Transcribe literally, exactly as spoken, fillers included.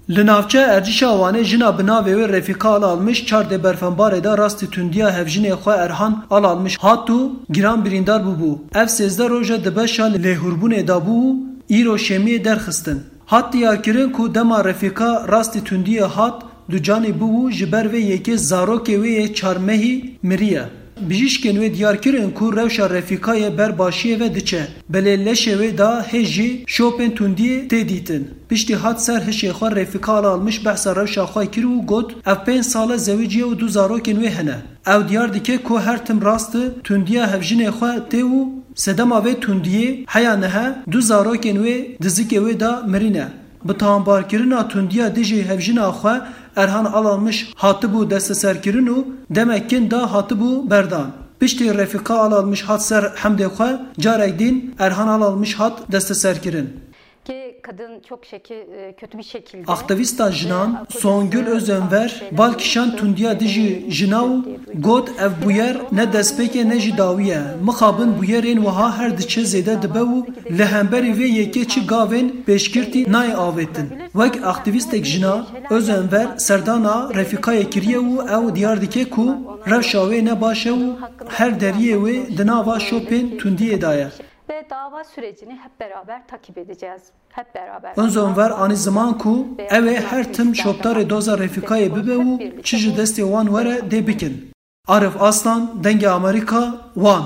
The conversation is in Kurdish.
Li navçeya Erdîşa Wanê jina bi navê wê Refîka Alalmiş çar dê berfenbarê de rastî tundiya hevjinê xwe Erhan Alalmiş hat û giran birîndar bûbû. Ev sêzdeh roj e di beşa lêhûrbûnê de bû û îro şêmiyê derxistin. Hat diyarkirin ku dema Refîka rastî tundiyê hat ducanî bû û ji ber vê yekê zarokê wê yê çar mehî miriye. Bijîşkên wê diyar kirin ku rewşa Refîkayê ber başiyê ve diçe, belê leşê wê de hê jî şopên tundiyê tê dîtin. Piştî hat ser hişê xwe Refîka Alalmiş behsa rewşa xwe kir û got, ev pênc sal e zewicî ye û du zarokên wê hene. Ew diyar dike ku her tim rast e tundiya hevjinê xwe tê û sedema vê tundiyê heya niha du zarokên wê di zikê wê de mirîne. Bi tawanbarkirina tundiya dijî hevjina xwe Erhan Alalmiş hatibû desteserkirin û demek kin de hatibû berdan. Piştî Refîka Alalmiş hat ser hemdê xwe, carek din Erhan Alalmiş hat desteserkirin. Ki kadın çok şekil, e, kötü bir şekilde. Aktîvîsta jinan Songül Özenver bal kişand tundiya dijî jina û got, ev bûyer ne destpêk e ne jî dawî ye. Mixabin bûyerên wiha her diçe zêde dibe û li hemberî vê yekê çi gavên pêşgirtî nayê avêtin. Wek aktîvîstek jina, Özenver serdana Refîkayê kiriye û ew diyar dike ku rewşa wê ne baş e û her deriyê wê di nava şopên tundiyê de ye. Ve dava sürecini hep beraber takip edeceğiz. Hep beraber. Özenver anî ziman ku ew ê her tim şopdarê doza Refîkayê bibe û çi ji destê wan were dê bikin. Arif Aslan, Dengê Amerîka, Wan.